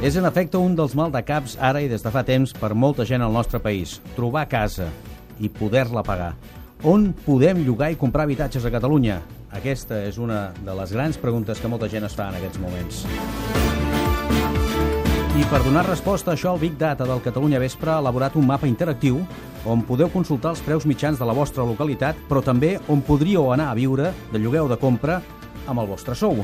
És en efecte un dels maldecaps ara i des de fa temps per molta gent al nostre país. Trobar casa i poder-la pagar. On podem llogar i comprar habitatges a Catalunya? Aquesta és una de les grans preguntes que molta gent es fa en aquests moments. I per donar resposta a això, el Big Data del Catalunya Vespre ha elaborat un mapa interactiu on podeu consultar els preus mitjans de la vostra localitat, però també on podríeu anar a viure de lloguer o de compra amb el vostre sou.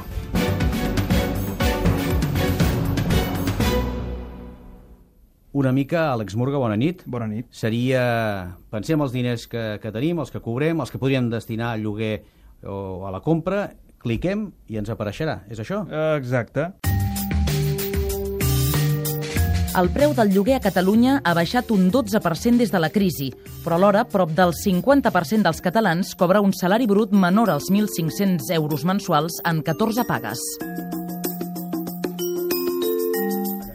Una mica, Àlex Murga, bona nit. Bona nit. Pensem els diners que tenim, els que cobrem, els que podríem destinar al lloguer o a la compra, cliquem i ens apareixerà. És això? Exacte. El preu del lloguer a Catalunya ha baixat un 12% des de la crisi, però alhora prop del 50% dels catalans cobra un salari brut menor als 1.500 euros mensuals en 14 pagues.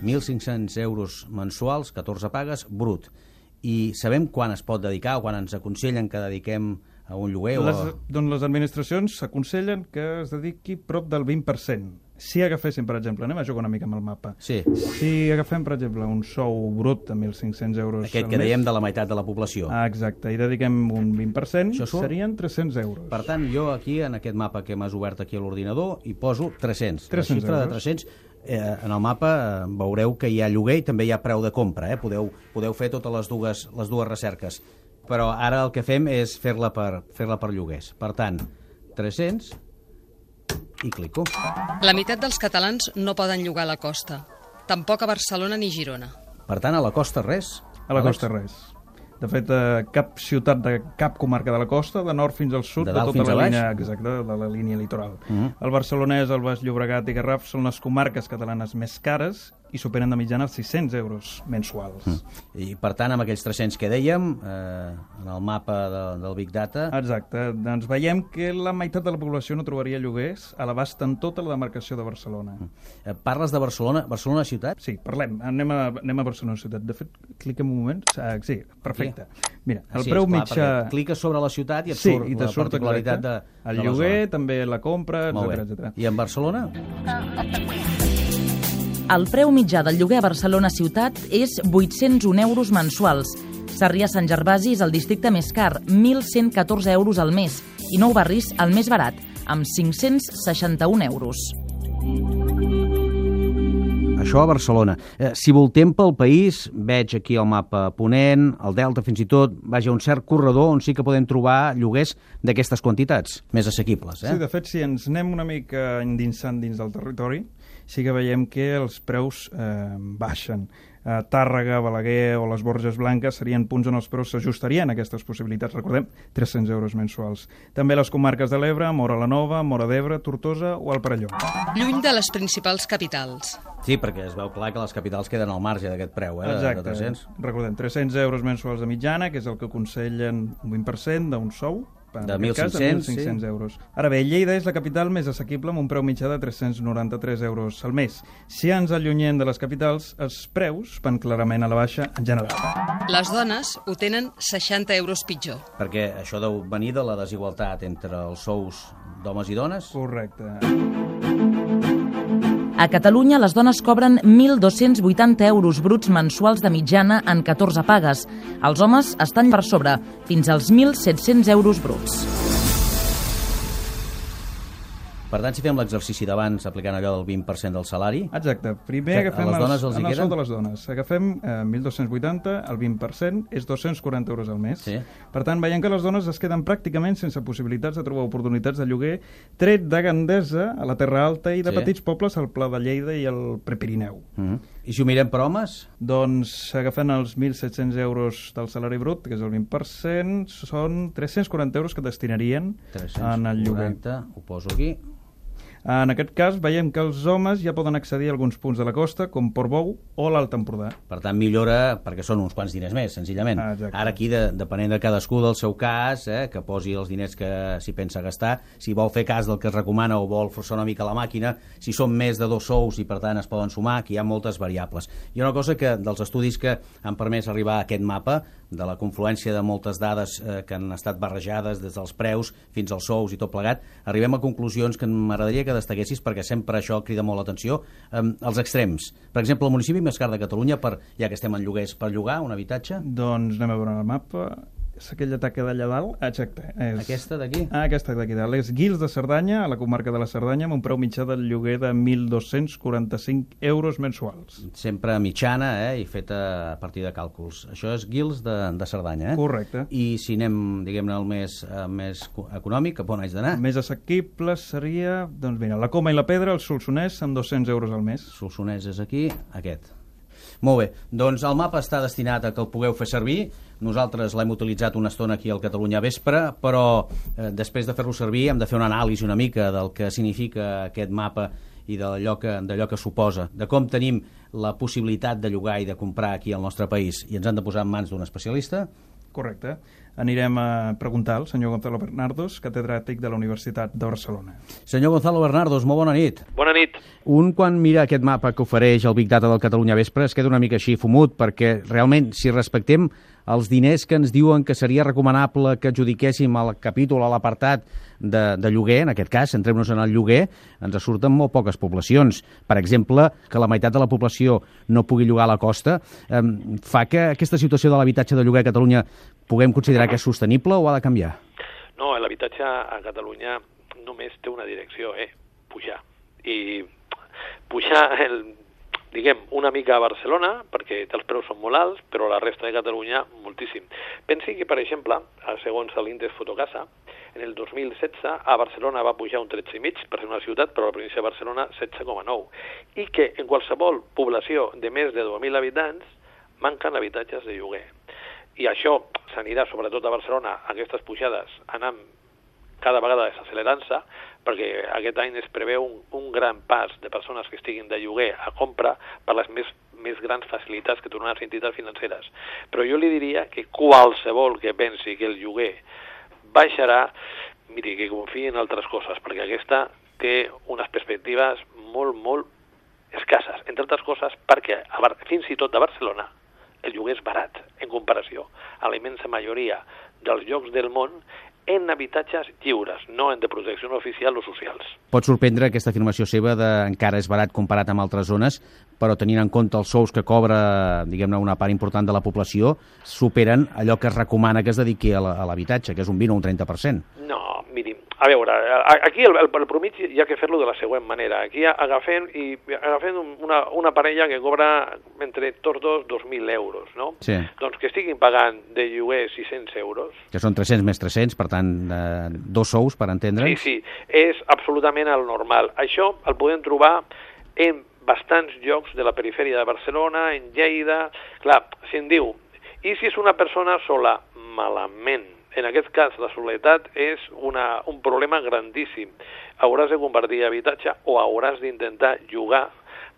1.500 euros mensuals, 14 pagues, brut. I sabem quan es pot dedicar o quan ens aconsellen que dediquem a un lloguer? Doncs les administracions s'aconsellen que es dediqui prop del 20%. Si agaféssim, per exemple, anem a jugar una mica amb el mapa. Sí. Si agafem, per exemple, un sou brut de 1.500 euros Aquest que dèiem de la meitat de la població. Exacte, i dediquem un 20%, Això surt? serien 300 euros. Per tant, jo aquí, en aquest mapa que m'has obert aquí a l'ordinador, hi poso 300. 300 La xifra euros. de 300. En el mapa veureu que hi ha lloguer i també hi ha preu de compra. Podeu fer totes les dues recerques. Però ara el que fem és fer-la per lloguers. Per tant, 300 i clico. La meitat dels catalans no poden llogar a la costa. Tampoc a Barcelona ni Girona. Per tant, a la costa res? A la costa res. De fet, cap ciutat de cap comarca de la costa, de nord fins al sud, De dalt tota fins la a baix? línia, exacte, de la línia litoral. El Barcelonès, el Baix Llobregat i Garraf són les comarques catalanes més cares i superen de mitjana els 600 euros mensuals. I per tant, amb aquells 300 que dèiem, en el mapa del Big Data... Exacte, doncs veiem que la meitat de la població no trobaria lloguers a l'abast en tota la demarcació de Barcelona. Parles de Barcelona, Barcelona ciutat? Sí, parlem, anem a Barcelona ciutat. De fet, cliquem un moment. Sí, perfecte. Mira, el preu mitjà... Cliques sobre la ciutat i et surt la particularitat de el lloguer, també la compra, etc. I en Barcelona? El preu mitjà del lloguer a Barcelona ciutat és 801 euros mensuals. Sarrià-Sant Gervasi és el districte més car, 1.114 euros al mes, i Nou Barris el més barat, amb 561 euros. Això a Barcelona. Si voltem pel país, veig aquí el mapa Ponent, el Delta fins i tot, vaja, un cert corredor on sí que podem trobar lloguers d'aquestes quantitats, més assequibles. Sí, de fet, si ens anem una mica endinsant dins del territori, sí que veiem que els preus baixen. Tàrrega, Balaguer o les Borges Blanques serien punts on els preus s'ajustarien a aquestes possibilitats. Recordem, 300 euros mensuals. També les comarques de l'Ebre, Móra la Nova, Móra d'Ebre, Tortosa o el Perelló. Lluny de les principals capitals. Sí, perquè es veu clar que les capitals queden al marge d'aquest preu, Exacte. de 300. Recordem, 300 euros mensuals de mitjana, que és el que aconsellen un 20% d'un sou, de 1.500 euros. Ara bé, Lleida és la capital més assequible amb un preu mitjà de 393 euros al mes. Si ens allunyem de les capitals, els preus van clarament a la baixa en general. Les dones ho tenen 60 euros pitjor. Perquè això deu venir de la desigualtat entre els sous d'homes i dones? Correcte. A Catalunya, les dones cobren 1.280 euros bruts mensuals de mitjana en 14 pagues. Els homes estan per sobre, fins als 1.700 euros bruts. Per tant, si fem l'exercici d'abans aplicant allò del 20% del salari... Exacte. Primer agafem el sou de les dones. Agafem 1.280, el 20% és 240 euros al mes. Sí. Per tant, veiem que les dones es queden pràcticament sense possibilitats de trobar oportunitats de lloguer, tret de Gandesa, a la Terra Alta, i de petits pobles al Pla de Lleida i al Prepirineu. I si ho mirem per homes? Doncs, agafant els 1.700 euros del salari brut, que és el 20%, són 340 euros que destinarien en el lloguer. 340, ho poso aquí. En aquest cas, veiem que els homes ja poden accedir a alguns punts de la costa, com Portbou o l'Alt Empordà. Per tant, millora, perquè són uns quants diners més, senzillament. Ara aquí, depenent de cadascú del seu cas, que posi els diners que s'hi pensa gastar, si vol fer cas del que es recomana o vol forçar una mica la màquina, si són més de 2 sous i, per tant, es poden sumar, que hi ha moltes variables. Hi ha una cosa que, dels estudis que han permès arribar a aquest mapa, de la confluència de moltes dades que han estat barrejades des dels preus fins als sous i tot plegat, arribem a conclusions que m'agradaria que destaquessis, perquè sempre això crida molt l'atenció, els extrems. Per exemple, el municipi més car de Catalunya, ja que estem en lloguers, per llogar un habitatge? Doncs anem a veure el mapa. És aquella taca d'allà dalt? Exacte. Aquesta d'aquí? Aquesta d'aquí dalt. És Guils de Cerdanya, a la comarca de la Cerdanya, amb un preu mitjà del lloguer de 1.245 euros mensuals. Sempre mitjana, i feta a partir de càlculs. Això és Guils de Cerdanya, Correcte. I si anem, diguem-ne, al més econòmic, cap on haig d'anar? El més assequible seria, doncs mira, la Coma i la Pedra, el Solsonès, amb 200 euros al mes. Solsonès és aquí, aquest. Molt bé, doncs el mapa està destinat a que el pugueu fer servir. Nosaltres l'hem utilitzat una estona aquí al Catalunya Vespre, però després de fer-lo servir hem de fer una anàlisi una mica del que significa aquest mapa i d'allò que suposa, de com tenim la possibilitat de llogar i de comprar aquí al nostre país, i ens han de posar en mans d'un especialista. Correcte. Anirem a preguntar al senyor Gonzalo Bernardos, catedràtic de la Universitat de Barcelona. Senyor Gonzalo Bernardos, molt bona nit. Bona nit. Un, quan mira aquest mapa que ofereix el Big Data del Catalunya Vespre, es queda una mica així fumut, perquè realment, si respectem els diners que ens diuen que seria recomanable que adjudiquéssim al capítol, a l'apartat de lloguer, en aquest cas, centrem-nos en el lloguer, ens surten molt poques poblacions. Per exemple, que la meitat de la població no pugui llogar a la costa, fa que aquesta situació de l'habitatge de lloguer a Catalunya puguem considerar que és sostenible o ha de canviar? No, l'habitatge a Catalunya només té una direcció, pujar. I pujar, diguem, una mica a Barcelona, perquè els preus són molt alts, però la resta de Catalunya moltíssim. Pensi que, per exemple, segons l'índex Fotocasa, en el 2016 a Barcelona va pujar un 13,5 per ser una ciutat, però a la província de Barcelona 16,9. I que en qualsevol població de més de 2.000 habitants manquen habitatges de lloguer. I això s'anirà, sobretot a Barcelona, aquestes pujades anant cada vegada desaccelerant-se, perquè aquest any es preveu un gran pas de persones que estiguin de lloguer a compra per les més grans facilitats que donen les entitats financeres. Però jo li diria que qualsevol que pensi que el lloguer baixarà, miri, que confiï en altres coses, perquè aquesta té unes perspectives molt, molt escasses. Entre altres coses, perquè fins i tot a Barcelona el lloguer és barat en comparació a la immensa majoria dels llocs del món en habitatges lliures, no en de protecció oficial o socials. Pot sorprendre aquesta afirmació seva de encara és barat comparat amb altres zones, però tenint en compte els sous que cobra, diguem-ne, una part important de la població, superen allò que es recomana que es dediqui a l'habitatge, que és un 20 o un 30%. No, miri, a veure, aquí el promig hi ha que fer-lo de la següent manera. Aquí agafem una parella que cobra entre tots dos 2.000 euros, no? Sí. Doncs que estiguin pagant de lloguer 600 euros. Que són 300 més 300, per tant, dos sous, per entendre'ns. Sí, és absolutament el normal. Això el podem trobar en bastants llocs de la perifèria de Barcelona, en Lleida. Clar, si em diu, i si és una persona sola? Malament. En aquest cas, la soledat és un problema grandíssim. Hauràs de convertir habitatge o hauràs d'intentar llogar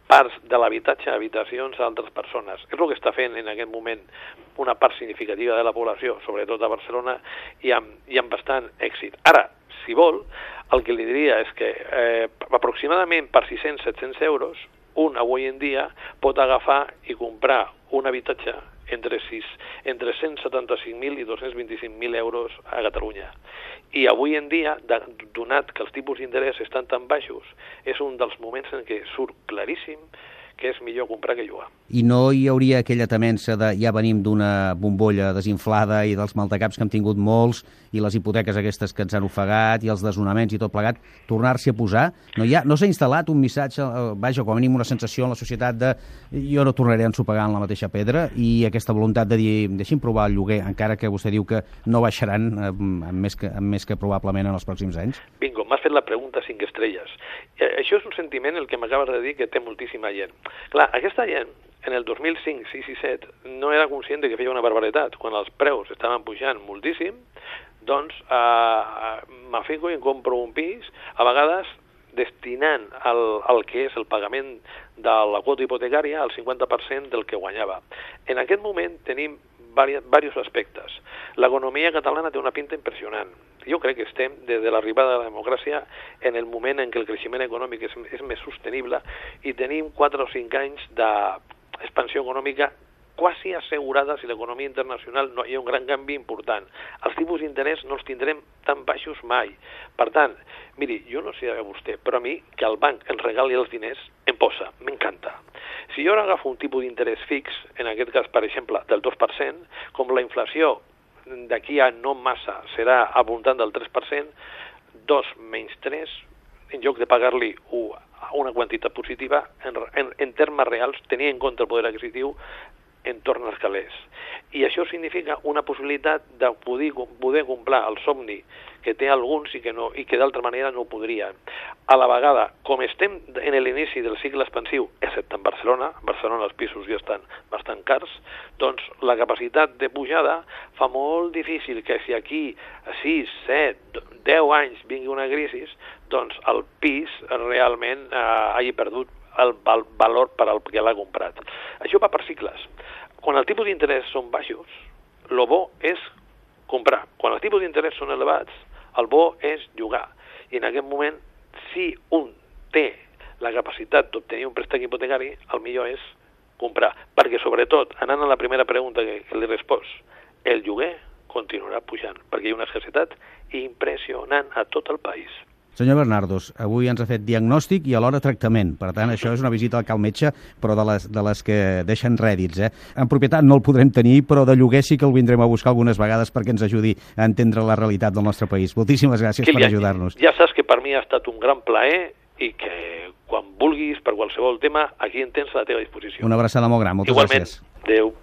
parts de l'habitatge a habitacions a altres persones. És el que està fent en aquest moment una part significativa de la població, sobretot a Barcelona, i amb bastant èxit. Ara, si vol, el que li diria és que aproximadament per 600-700 euros, un avui en dia pot agafar i comprar un habitatge entre 175.000 i 225.000 euros a Catalunya. I avui en dia, donat que els tipus d'interès estan tan baixos, és un dels moments en què surt claríssim que és millor comprar que llogar. I no hi hauria aquella temença de ja venim d'una bombolla desinflada i dels maldecaps que hem tingut molts i les hipoteques aquestes que ens han ofegat i els desnonaments i tot plegat, tornar-s'hi a posar? No s'ha instal·lat un missatge, vaja, com a mínim una sensació en la societat de jo no tornaré a ensopegar en la mateixa pedra, i aquesta voluntat de dir deixi'm provar el lloguer, encara que vostè diu que no baixaran més que probablement en els pròxims anys? Bingo, m'has fet la pregunta 5 estrelles. Això és un sentiment el que m'acabes de dir que té moltíssima gent. Clar, aquesta gent, en el 2005, 6 i 7, no era conscient de que feia una barbaritat. Quan els preus estaven pujant moltíssim, doncs m'afico i em compro un pis, a vegades destinant al que és el pagament de la quota hipotecària al 50% del que guanyava. En aquest moment tenim diversos aspectes. L'economia catalana té una pinta impressionant. Jo crec que estem, des de l'arribada de la democràcia, en el moment en què el creixement econòmic és més sostenible i tenim 4 o 5 anys d'expansió econòmica quasi assegurada si l'economia internacional no hi ha un gran canvi important. Els tipus d'interès no els tindrem tan baixos mai. Per tant, miri, jo no sé a vostè, però a mi que el banc ens regali els diners em posa, m'encanta. Si jo ara agafo un tipus d'interès fix, en aquest cas, per exemple, del 2%, com la inflació d'aquí a no massa serà al voltant del 3%, 2 menys 3, en lloc de pagar-li una quantitat positiva, en termes reals, tenia en compte el poder adquisitiu, en torn als calés. I això significa una possibilitat de poder complir el somni que té alguns i que d'altra manera no ho podrien. A la vegada, com estem en l'inici del cicle expansiu, excepte en Barcelona els pisos ja estan bastant cars, doncs la capacitat de pujada fa molt difícil que si aquí 6, 7, 10 anys vingui una crisi, doncs el pis realment hagi perdut el valor per al que l'ha comprat. Això va per cicles. Quan els tipus d'interès són baixos, el bo és comprar. Quan els tipus d'interès són elevats, el bo és llogar. I en aquest moment, si un té la capacitat d'obtenir un préstec hipotecari, el millor és comprar. Perquè, sobretot, anant a la primera pregunta que li respost, el lloguer continuarà pujant, perquè hi ha una escassetat impressionant a tot el país. Senyor Bernardos, avui ens ha fet diagnòstic i alhora tractament. Per tant, això és una visita al metge, però de les que deixen rèdits. En propietat no el podrem tenir, però de lloguer sí que el vindrem a buscar algunes vegades perquè ens ajudi a entendre la realitat del nostre país. Moltíssimes gràcies per ajudar-nos. Ja saps que per mi ha estat un gran plaer i que quan vulguis, per qualsevol tema, aquí en tens a la teva disposició. Una abraçada molt gran. Moltes gràcies. Igualment. Adéu.